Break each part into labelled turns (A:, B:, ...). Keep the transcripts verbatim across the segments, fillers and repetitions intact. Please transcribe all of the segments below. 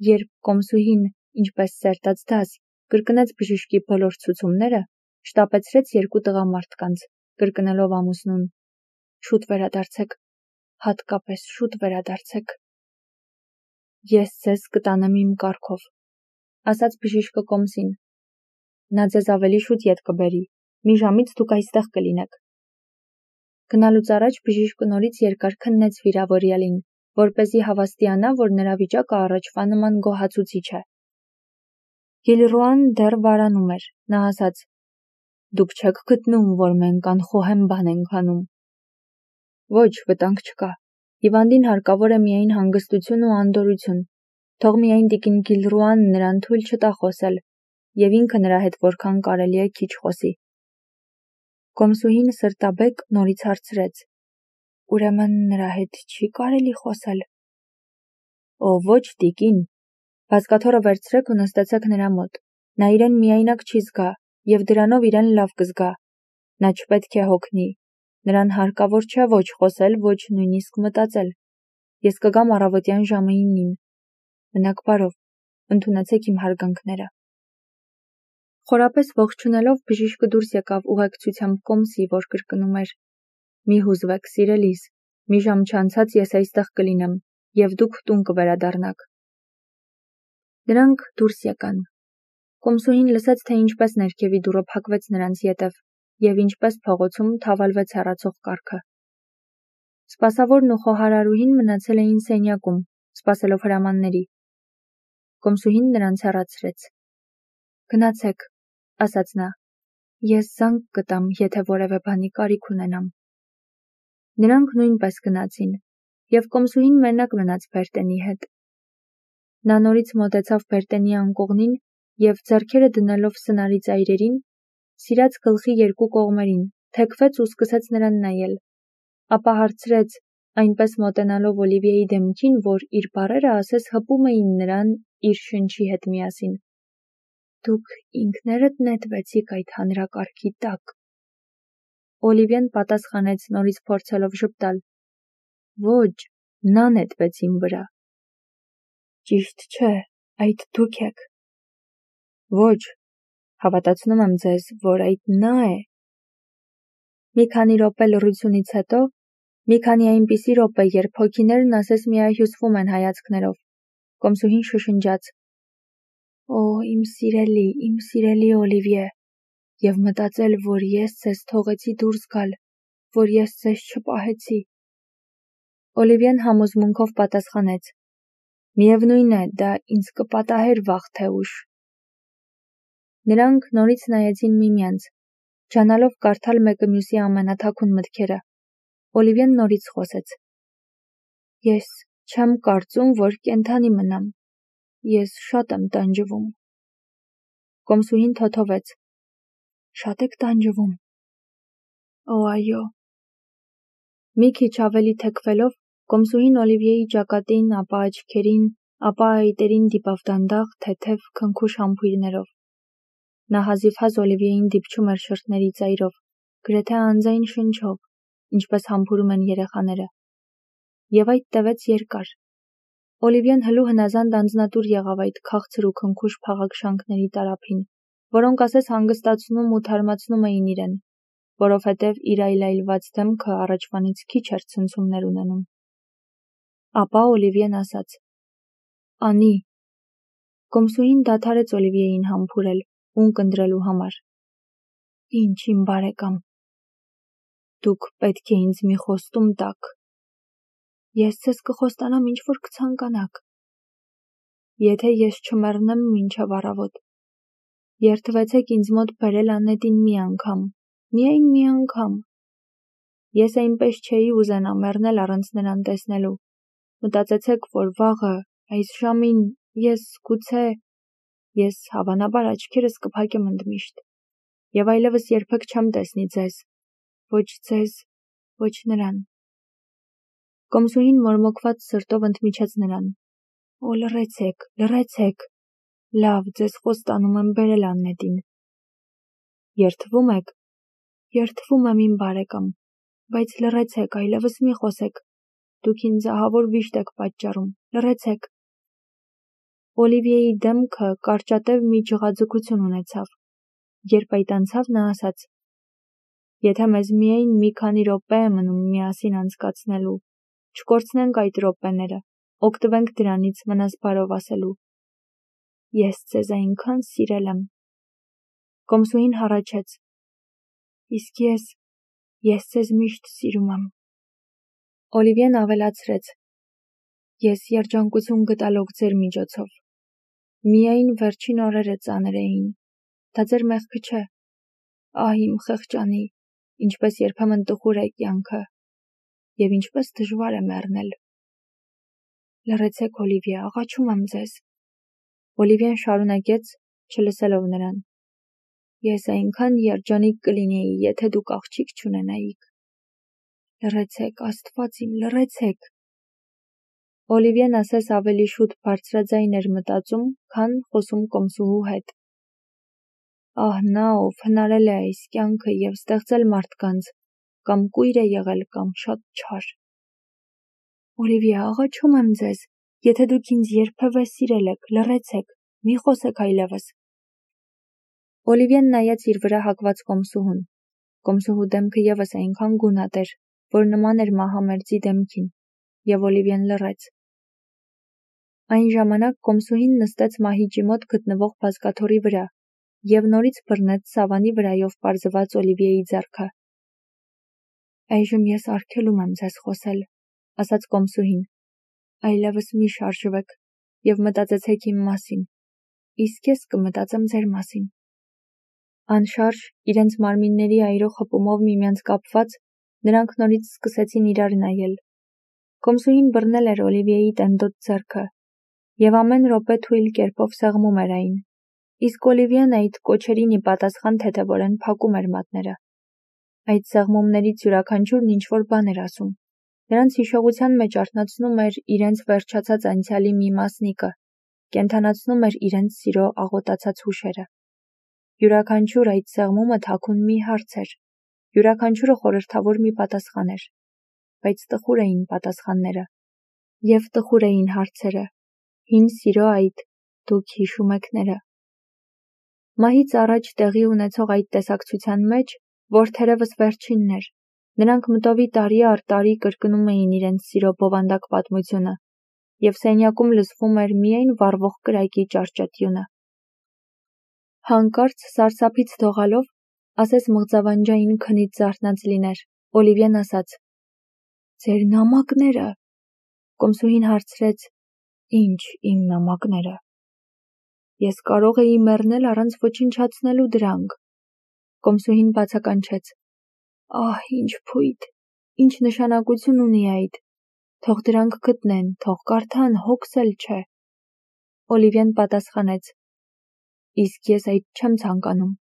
A: Երբ կոմսուհին, ինչպես սերտած դաս, կրկնեց բժիշկի բոլոր ցուցումները, շտապեցրեց երկու տղամարդկանց, կրկնելով ամուսնուն. «Շուտ վերադարձեք, հատկապես շուտ վերադարձեք»։ «Ես ձեզ կտանեմ իմ կառքով», ասաց բժիշկը կոմսին։ «Նա ձեզ ավելի շուտ ետ կբերի, մի ժամից դուք այստեղ կլինեք»։ Գնալուց առաջ բժիշկը նորից երկար քննեց վիրավորյալին, որպեսզի հավաստիանա, որ նրա վիճակը առաջվա նման գոհացուցիչ է։ Գիլռուան դեռ վարանում էր, նա ասաց. «Դուք չեք գտնում, որ մենք անխոհեմ բան ենք անում»։ «Ոչ, վտանգ չկա։ Հիվանդին հարկավոր է միայն հանգստություն ու անդորրություն, թող միայն տիկին Գիլռուան նրան թույլ չտա խոսել, և ինքը նրա հետ որքան կարելի է քիչ խոսի»։ Կոմսուհին սրտաբեկ նորից հարցրեց. «Ուրեմն նրա հետ չի կարելի խոսել»։ «Օ, ոչ, տիկին, բազկաթոռը վերցրեք ու նստեցեք նրա մոտ, նա իրեն միայնակ չի զգա և դրանով իրեն լավ կզգա, նա չպետք է հոգնի, նրան հարկավոր չէ ոչ խոսել, ոչ նույնիսկ մտածել, ես կգամ առավոտյան ժամը իննին, մնաք բարով, ընդունեցեք իմ հարգանքները»։ Խորապես ողջունելով բժիշկը դուրս եկավ ուղեկցությամբ կոմսի, որ կրկնում էր. «Մի հուզվեք, սիրելիս, մի ժամ չանցած ես այստեղ կլինեմ, և դուք տուն կվերադառնաք»։ Նրանք դուրս եկան։ Կոմսուհին լսեց, թե ինչպես ներքևի դուռը փակվեց նրանց ետև, և ինչպես փողոցում թավալվեց հեռացող կառքը։ Սպասավորն ու խոհարարուհին մնացել էին սենյակում, սպասելով հրամանների։ Կոմսուհին նրանց հեռացրեց։ «Գնացեք», ասաց նա, «ես զանգ կտամ, եթե որևէ բանի կարիք ունենամ»։ Նրանք նույնպես գնացին, և կոմսուհին մենակ մնաց Բերտենի հետ։ Նա նորից մոտեցավ Բերտենի անկողնին և, ձեռքերը դնելով սնարի ծայրերին, սիրած գլխի երկու կողմերին, թեքվեց ու սկսեց նրան նայել, ապա հարցրեց, այնպես մոտենալով Օլիվիեի դեմքին, որ իր բառերը ասես հպում էին նրան իր շնչի հետ միասին. «Դուք ինքներդ նետվեցիք այդ հանրակարգի տակ»։ Օլիվիեն պատասխանեց, նորից փորձելով ժպտալ. «Ոչ, նա նետվեց իմ վրա»։ «Ճիշտ չէ, այդ դուք եք»։ «Ոչ, հավատացնում եմ ձեզ, որ այդ նա է»։ Մի քանի րոպե լռությունից հետո, մի քանի այնպիսի րոպե, երբ հոգիներն ասես միահյուսվում են հայացքներով, կոմսուհին շշնջաց. «Օ, իմ սիրելի, իմ սիրելի Օլիվիե, և մտածել, որ ես ձեզ թողեցի դուրս գալ, որ ես ձեզ չպահեցի»։ Օլիվիեն համոզմունքով պատասխանեց. «Միևնույն է, դա ինձ կպատահեր վաղ թե ուշ»։ Նրանք նորից նայեցին միմյանց, ջանալով կարդալ մեկը մյուսի ամենաթաքուն մտքերը։ Օլիվիեն նորից խոսեց. «Ես չեմ կարծում, որ կենդանի մնամ, ես շատ եմ տանջվում»։ Կոմսուհին թոթովեց. «Շատ եք տանջվում»։ «Օ, այո»։ Մի քիչ ավելի թեքվելով, կոմսուհին Օլիվիեի ճակատին, ապա աչքերին, ապա այտերին դիպավ դանդաղ, թեթև, քնքուշ համբույրներով։ Նա հազիվհազ Օլիվիեին դիպչում էր շրթների ծայրով, գրեթե անձայն շնչով, ինչպես համբուրում են երեխաները։ Եվ այդ տևեց երկար։ Օլիվիեն հլու հնազանդ անձնատուր եղավ այդ քաղցր ու քնքուշ փաղաքշանքների տարափին, որոնք ասես հանգստացնում ու թարմացնում էին իրեն, որովհետև իր այլայլված դեմքը առաջվանից քիչ էր ցնցումներ ունենում։ Ապա Օլիվիեն ասաց. «Անի»։ Կոմսուհին դադարեց Օլիվիեին համբուրել, ունկնդրելու համար։ «Ինչ, իմ բարեկամ, դուք պետք է ինձ մի խոստում տաք»։ «Ես ձեզ կխոստանամ, ինչ որ կցանկանաք»։ «Եթե ես չմեռնեմ մինչև առավոտ, երդվեցեք ինձ մոտ բերել Անետին մի անգամ, միայն մի անգամ։ Ես այնպես չէի ուզենա մեռնել առանց նրան տեսնելու, մտածեցեք, որ վաղը, այս ժամին, ես, գուցե, ես հավանաբար աչքերս կփակեմ ընդմիշտ, և այլևս երբեք չեմ տեսնի ձեզ, ոչ ձեզ, ոչ նրան»։ Կոմսուհին մորմոքված սրտով ընդմիջեց նրան. «Օ, լռեցեք, լռեցեք, լավ, ձեզ խոստանում եմ բերել Անետին»։ «Երդվում եք»։ «Երդվում եմ, իմ բարեկամ, բայց լռեցեք, այլևս մի խոսեք, դուք ինձ ահավոր վիշտ եք պատճառում, լռեցեք»։ Օլիվիեի դեմքը կարճատև մի ջղաձգություն ունեցավ, երբ այդ անցավ նա ասաց. «Եթե մեզ միայն մի քանի րոպե է մնում միասին անցկացնելու, չկորցնենք այդ րոպեները, օգտվենք դրանից մնաս բարով ասելու. ես ձեզ այնքան սիրել եմ»։ Կոմսուհին հառաչեց. «Իսկ ես, ես ձեզ միշտ սիրում եմ»։ Օլիվիեն ավելացրեց. «Ես երջանկություն գտալով ձեր միջոցով։ Միայն վերջին օրերը ծանր էին, դա ձեր մեղքը չէ։ Ահ իմ խեղճանի, ինչպես երբեմն տխուր է կյանքը, և ինչպես դժվար է մեռնել։ Լռեցեք, Օլիվիե, աղաչում եմ ձեզ։ Օլիվիեն շարունակեց, չլսելով նրան. Ես այնքան երջանիկ կլինեի, եթե դուք աղջիկ չունենայիք։ Լռեցեք, Աստված իմ, լռեցեք։ Օլիվիեն ասես ավելի շուտ բարձրաձայն էր մտածում, քան խոսում կոմսուհու հետ։ Ահ նա, ով հնարել է այս կյանքը և ստեղծել մարդկանց, կամ կույր է եղել, կամ շատ չար։ Օլիվիե, աղաչում եմ ձեզ, եթե դուք ինձ երբևէ սիրել եք, լռեցեք, մի խոսեք այլևս։ Օլիվիեն նայեց իր վրա հագված կոմսուհուն։ Կոմսուհու դեմքը ևս այնքան գունատ էր, որ նման էր մահամերձի դեմքին, և Օլիվիեն լռեց։ Այն ժամանակ կոմսուհին նստեց մահիճի մոտ գտնվող բազկաթոռի վրա և նորից բռնեց սավանի վրայով պարզված Օլիվիեի ձեռքը։ Այժմ ես արգելում եմ ձեզ խոսել, ասաց կոմսուհին, այլևս մի շարժվեք և մտածեցեք իմ մասին, իսկ ես կմտածեմ ձեր մասին։ Անշարժ, իրենց մարմինների այրող հպումով միմյանց կապված, նրանք նորից սկսեցին իրար նայել։ Կոմսուհին բռնել էր Օլիվիեի տենդոտ ձեռքը և ամեն րոպե թույլ կերպով սեղմում էր այն, իսկ Օլիվիեն այդ կոչերին ի պատասխան թեթևորեն փակում էր մատները։ Այդ սեղմումներից յուրաքանչյուրն ինչ-որ բան էր ասում, նրանց հիշողության մեջ արթնացնում էր իրենց վերջացած անցյալի մի մասնիկը, կենդանացնում էր իրենց սիրո աղոտացած հուշերը։ Յուրաքանչյուր այդ սեղմումը թաքուն մի հարց էր, յուրաքանչյուրը խորհրդավոր մի պատասխան էր, բայց տխուր էին պատասխանները, և տխուր էին հարցերը, հին սիրո այդ «դուք հիշում եք»-ները։ Մահից առաջ տեղի ունեցող այդ տեսակցության մեջ, որ թերևս վերջինն էր, նրանք մտովի տարի առ տարի կրկնում էին իրենց սիրո բովանդակ պատմությունը, և սենյակում լսվում էր միայն վառվող կրակի ճարճատյունը։ Հանկարծ սարսափից դողալով, ասես մղձավանջային քնից զարթնած լիներ, Օլիվիեն ասաց. «Ձեր նամակները»։ Կոմսուհին հարցրեց. «Ինչ իմ նամակները»։ Ես կարող էի մեռնել առանց ոչնչացնելու դրանք։ Կոմսուհին բացականչեց. Ահ, ինչ փույթ, ինչ նշանակություն ունի այդ։ Թող դրանք գտնեն, թող կարդան, հոգս էլ չէ։ Օլիվիեն պատասխանեց. Իսկ ես այդ չեմ ցանկանում։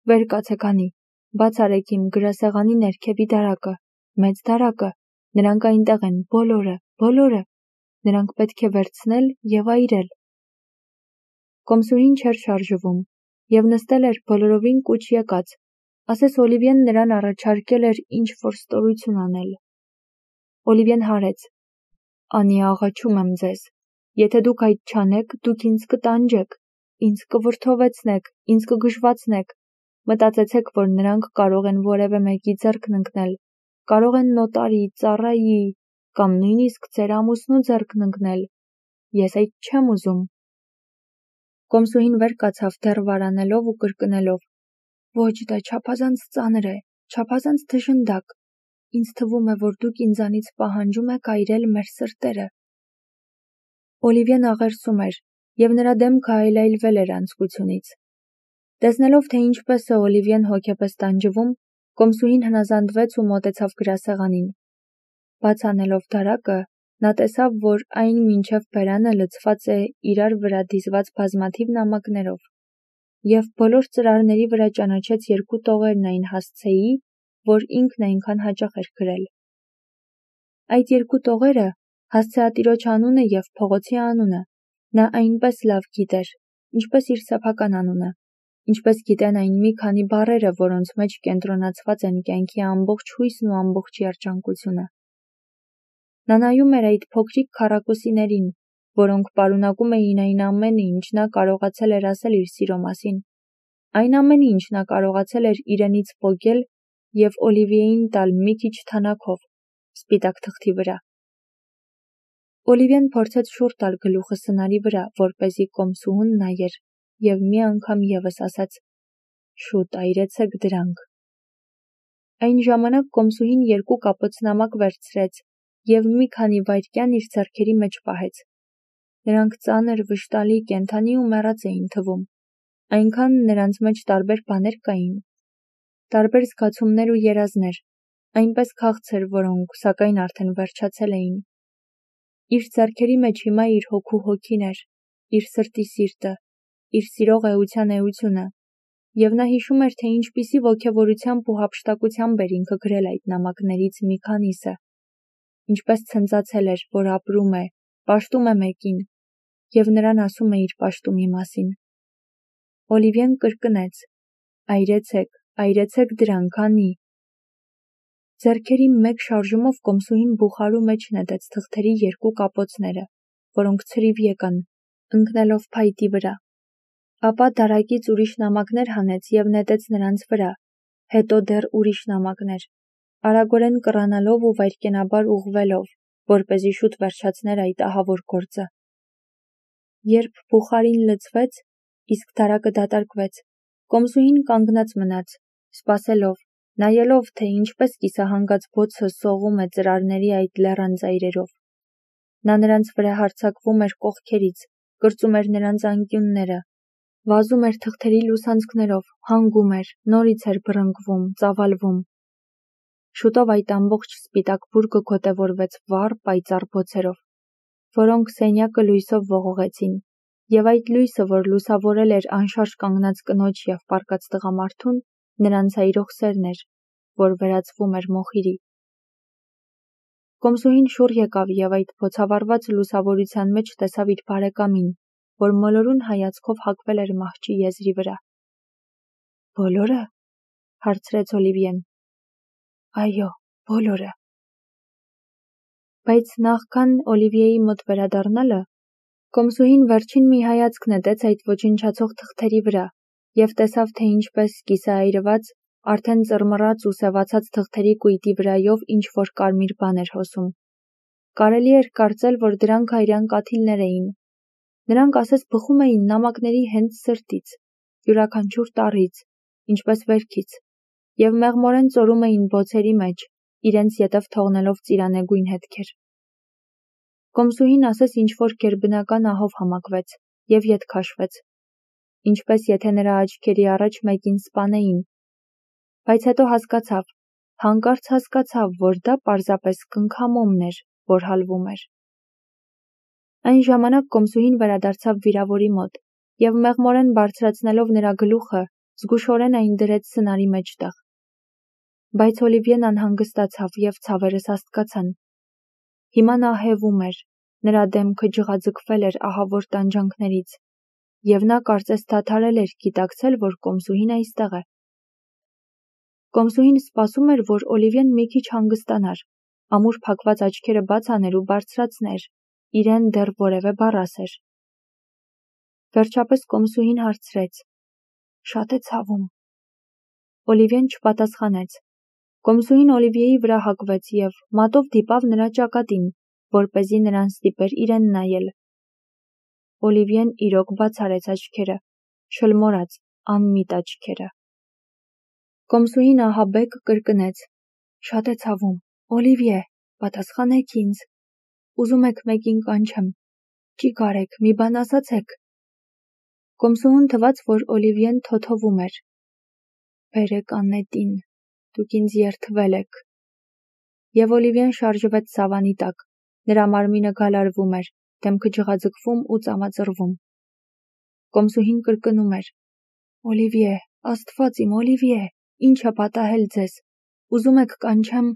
A: Վեր կացեք անի, բաց արեք իմ գրասեղանի ներքևի դարակը, մեծ դարակը, նրանք այնտեղ են, բոլորը, բոլորը, նրանք պետք է վերցնել և այրել։ Կոմսուհին չէր շարժվում և նստել էր բոլորովին կուչ եկած, ասես Օլիվիեն նրան առաջարկել էր ինչ-որ ստորություն անել։ Օլիվիեն հարեց. Անի, աղաչում եմ ձեզ, եթե դուք այդ չանեք, դուք ինձ կտանջեք, ինձ կվրդովեցնեք, ինձ կգժվացնեք, մտածեցեք, որ նրանք կարող են որևէ մեկի ձեռքն ընկնել, կարող են նոտարի, ծառայի, կամ նույնիսկ ձեր ամուսնու ձեռքն ընկնել։ Ես այդ չեմ ուզում։ Կոմսուհին վեր կացավ դեռ վարանելով ու կրկնելով. Ոչ, դա չափազանց ծանր է, չափազանց դժնդակ։ Ինձ թվում է, որ դուք ինձանից պահանջում եք այրել մեր սրտերը։ Օլիվիեն աղերսում էր, և նրա դեմքը այլայլվել էր անձկությունից։ Տեսնելով, թե ինչպես է Օլիվիեն հոգեպես տանջվում, կոմսուհին հնազանդվեց ու մոտեցավ գրասեղանին։ Բաց անելով դարակը, նա տեսավ, որ այն մինչև բերանը լցված է իրար վրա դիզված բազմաթիվ նամակներով, և բոլոր ծրարների վրա ճանաչեց երկու տողերն այն հասցեի, որ ինքն այնքան հաճախ էր գրել։ Այդ երկու տողերը, հասցեատիրոջ անունը և փողոցի անունը, նա այնպես լավ գիտեր, ինչպես իր սեփական անունը, ինչպես գիտեն այն մի քանի բառերը, որոնց մեջ կենտրոնացված են կյանքի ամբողջ հույսն ու ամբողջ երջանկությունը։ Նա նայում էր այդ փոքրիկ քառակուսիներին, որոնք պարունակում էին այն ամենը, ինչ նա կարողացել էր ասել իր սիրո մասին, այն ամենը, ինչ նա կարողացել էր իրենից պոկել և Օլիվիեին տալ մի քիչ թանաքով, սպիտակ թղթի վրա։ Օլիվիեն փորձեց շուռ տալ գլուխը սնարի վրա, որպեսզի կոմսուհուն նայեր, և մի անգամ ևս ասաց. «Շուտ այրեցեք դրանք»։ Այն ժամանակ կոմսուհին երկու կապոց նամակ վերցրեց և մի քանի վայրկյան իր ձեռքերի մեջ պահեց։ Նրանք ծանր, վշտալի, կենդանի ու մեռած էին թվում, այնքան նրանց մեջ տարբեր բաներ կային, տարբեր զգացումներ ու երազներ, այնպես քաղցր, որոնք, սակայն, արդեն վերջացել էին։ Իր ձեռքերի մեջ հիմա իր հոգու հոգին էր, իր սրտի սիրտը, իր սիրող էության էությունը, և նա հիշում էր, թե ինչպիսի ոգևորությամբ ու հափշտակությամբ էր ինքը գրել այդ նամակներից մի քանիսը, ինչպես ցնծացել էր, որ ապրում է, պաշտում է մեկին, և նրան ասում է իր պաշտումի մասին։ Օլիվիեն կրկնեց. «Այրեցեք, այրեցեք դրանք, անի»։ Ձեռքերի մեկ շարժումով կոմսուհին բուխարու մեջ նետեց թղթերի երկու կապոցները, որոնք ցրիվ եկան, ընկնելով փայտի վրա։ Ապա դարակից ուրիշ նամակներ հանեց և նետեց նրանց վրա, հետո դեռ ուրիշ նամակներ, արագորեն կռանալով ու վայրկենաբար ուղղվելով, որպեսզի շուտ վերջացներ այդ ահավոր գործը։ Երբ բուխարին լցվեց, իսկ դարակը դատարկվեց, կոմսուհին կանգնած մնաց, սպասելով, նայելով, թե ինչպես կիսահանգած բոցը սողում է ծրարների այդ լեռան ծայրերով։ Նա նրանց վրա հարձակվում էր կողքերից, կրծում էր նրանց անկյունները, վազում էր թղթերի լուսանցքներով, հանգում էր, նորից էր բռնկվում, ծավալվում։ Շուտով այդ ամբողջ սպիտակ բուրգը գոտևորվեց վառ, պայծառ բոցերով, որոնք սենյակը լույսով ողողեցին, և այդ լույսը, որ լուսավորել էր անշարժ կանգնած կնոջ և պառկած տղամարդուն, նրանց այրող սերն էր, որ վերածվում էր մոխիրի։ Կոմսուհին շուռ եկավ և այդ բոցավառված լուսավորության մեջ տեսավ իր բարեկամին, որ մոլորուն հայացքով հագվել էր մահճի եզրի վրա։ «Բոլորը»։ հարցրեց Օլիվիեն։ «Այո, բոլորը»։ Բայց նախքան Օլիվիեի մոտ վերադառնալը, կոմսուհին վերջին մի հայացք նետեց այդ ոչնչացող թղթերի վրա և տեսավ, թե ինչպես կիսաայրված, արդեն ծռմռած ու սևացած թղթերի կույտի վրայով ինչ-որ կարմիր բան էր հոսում։ Կարելի էր կարծել, որ դրանք այրան կաթիլներ էին։ Նրանք ասես բխում էին նամակների հենց սրտից, յուրաքանչյուր տառից, ինչպես վերքից, և մեղմորեն ծորում էին բոցերի մեջ, իրենց ետև թողնելով ծիրանեգույն հետքեր։ Կոմսուհին ասես ինչ-որ գերբնական ահով համակվեց և ետ քաշվեց, ինչպես եթե նրա աչքերի առաջ մեկին սպանեին, բայց հետո հասկացավ, հանկարծ հասկացավ, որ դա պարզապես կնքամոմն էր, որ հալվում էր։ Այն ժամանակ կոմսուհին վերադարձավ վիրավորի մոտ և մեղմորեն բարձրացնելով նրա գլուխը, զգուշորեն այն դրեց սնարի մեջտեղ։ Բայց Օլիվիեն անհանգստացավ և ցավերը սաստկացան։ Հիմա նա հևում էր, նրա դեմքը ջղաձգվել էր ահավոր տանջանքներից, և նա կարծես դադարել էր գիտակցել, որ կոմսուհին այստեղ է։ Կոմսուհին սպասում էր, որ Օլիվիեն մի քիչ հանգստանար, ամուր փակված աչքերը բաց աներ ու բարձրացներ, իրեն դեռ որևէ բառ ասեր։ Վերջապես կոմսուհին հարցրեց. «Շատ է ցավում»։ Օլիվիեն չպատասխանեց։ Կոմսուհին Օլիվիեի վրա հագվեց և մատով դիպավ նրա ճակատին, որպեսզի նրան ստիպեր իրեն նայել։ Օլիվիեն իրոք բաց արեց աչքերը, շլմորած, անմիտ աչքերը։ Կոմսուհին ահաբեկ կրկնեց. «Շատ է ցավում, Օլիվիե, պատասխանեք ինձ։ Ուզում եք մեկին կանչեմ։ Չի կարեք, մի բան ասացեք»։ Կոմսուհուն թվաց, որ Օլիվիեն թոթովում էր։ «Բերեք անետին, դուք ինձ երդվել եք»։ Եվ Օլիվիեն շարժվեց սավանի տակ, նրա մարմինը գալարվում էր, դեմքը ջղաձգվում ու ծամածռվում։ Կոմսուհին կրկնում էր. «Օլիվիե, Աստված իմ, Օլիվիե, ինչ է պատահել ձեզ, ուզում եք կանչեմ»։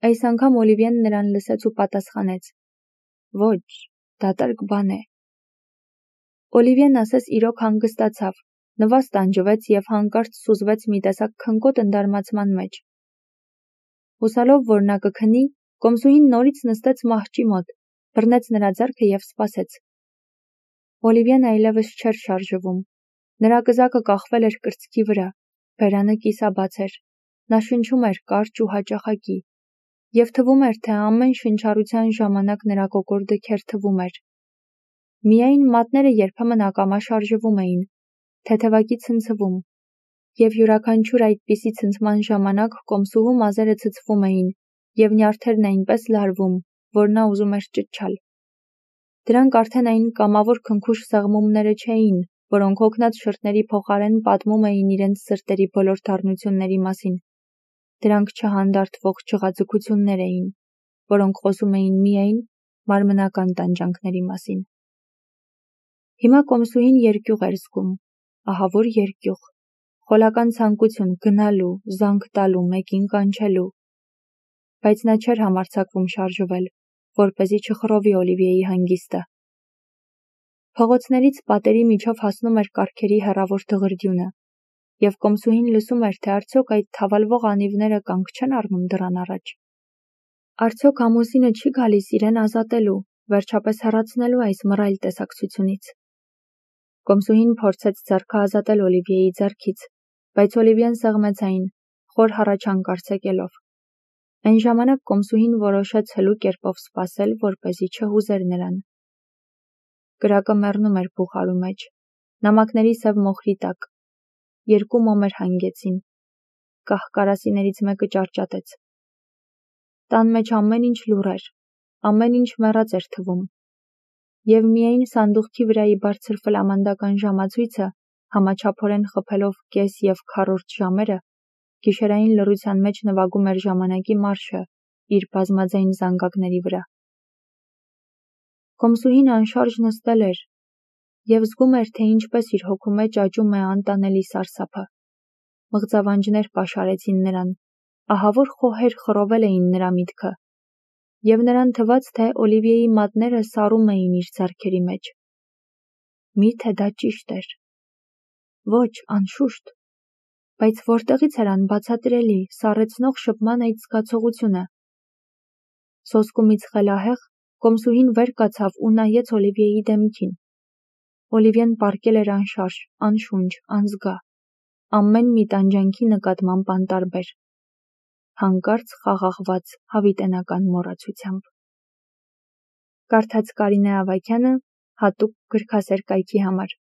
A: Այս անգամ Օլիվիեն նրան լսեց ու պատասխանեց. «Ոչ, դատարկ բան է»։ Օլիվիեն ասես իրոք հանգստացավ, նվազ տանջվեց և հանկարծ սուզվեց մի տեսակ քնկոտ ընդարմացման մեջ։ Հուսալով, որ նա կքնի, կոմսուհին նորից նստեց մահճի մոտ, բռնեց նրա ձեռքը և սպասեց։ Օլիվիեն այլևս չէր շարժվում։ Նրա կզակը կախվել էր կրծքի վրա, բերանը կիսաբաց էր, նա շնչում էր կարճ ու հաճախակի, և թվում էր, թե ամեն շնչառության ժամանակ նրա կոկորդը քերթվում էր։ Միայն մատները երբեմն ակամա շարժվում էին, թեթևակի ցնցվում, և յուրաքանչյուր այդպիսի ցնցման ժամանակ կոմսուհու մազերը ցցվում էին և նյարդերն այնպես լարվում, որ նա ուզում էր ճչալ։ Դրանք արդեն այն կամավոր քնքուշ սեղմումները չէին, որոնք հոգնած շրթների փոխարեն պատմում էին իրենց սրտերի բոլոր դառնությունների մասին։ Դրանք չհանդարտվող ջղաձգություններ էին, որոնք խոսում էին միայն մարմնական տանջանքների մասին։ Հիմա կոմսուհին երկյուղ էր զգում, ահավոր երկյուղ, խոլական ցանկություն գնալու, զանգ տալու, մեկին կանչելու։ Բայց նա չէր համարձակվում շարժվել, որպեսզի չխռովի Օլիվիեի հանգիստը։ Փողոցներից պատերի միջով հասնում էր կառքերի հեռավոր դղրդյունը, և կոմսուհին լսում էր, թե արդյոք այդ թավալվող անիվները կանգ չեն առնում դռան առաջ։ Արդյոք ամուսինը չի գալիս իրեն ազատելու, վերջապես հեռացնելու այս մռայլ տեսակցությունից։ Կոմսուհին փորձեց ձեռքը ազատել Օլիվիեի ձեռքից, բայց Օլիվիեն սեղմեց այն, խոր հառաչանք արձակելով։ Այն ժամանակ կոմսուհին որոշեց հլու կերպով սպասել, որպեսզի չհուզեր նրան։ Կրակը մեռնում էր բուխարու մեջ, նամակների սև մոխրի տակ։ Երկու մոմեր հանգեցին։ Կահ-կարասիներից մեկը ճարճատեց։ Տան մեջ ամեն ինչ լուռ էր, ամեն ինչ մեռած էր թվում։ Եվ միայն սանդուղքի վրայի բարձր ֆլամանդական ժամացույցը, համաչափորեն խփելով կես և քառորդ ժամերը, գիշերային լռության մեջ նվագում էր ժամանակի մարշը իր բազմաձայն զանգակների վրա։ Կոմսուհին անշարժ նստել էր և զգում էր, թե ինչպես իր հոգու մեջ աճում է անտանելի սարսափը։ Մղձավանջներ պաշարեցին նրան, ահավոր խոհեր խռովել էին նրա միտքը, և նրան թվաց, թե Օլիվիեի մատները սառում էին իր ձեռքերի մեջ։ Մի՞թե դա ճիշտ էր։ Ոչ, անշուշտ։ Բայց որտեղից էր անբացատրելի, սառեցնող շփման այդ զգացողությունը։ Սոսկումից խելահեղ, կոմսուհին վեր կացավ ու նայեց Օլիվիեի դեմքին։ Օլիվիեն պառկել էր անշարժ, անշունչ, անզգա, ամեն մի տանջանքի նկատմամբ անտարբեր, հանկարծ խաղաղված հավիտենական մոռացությամբ։ Կարդաց Կարինե Ավագյանը հատուկ գրքասեր կայքի համար։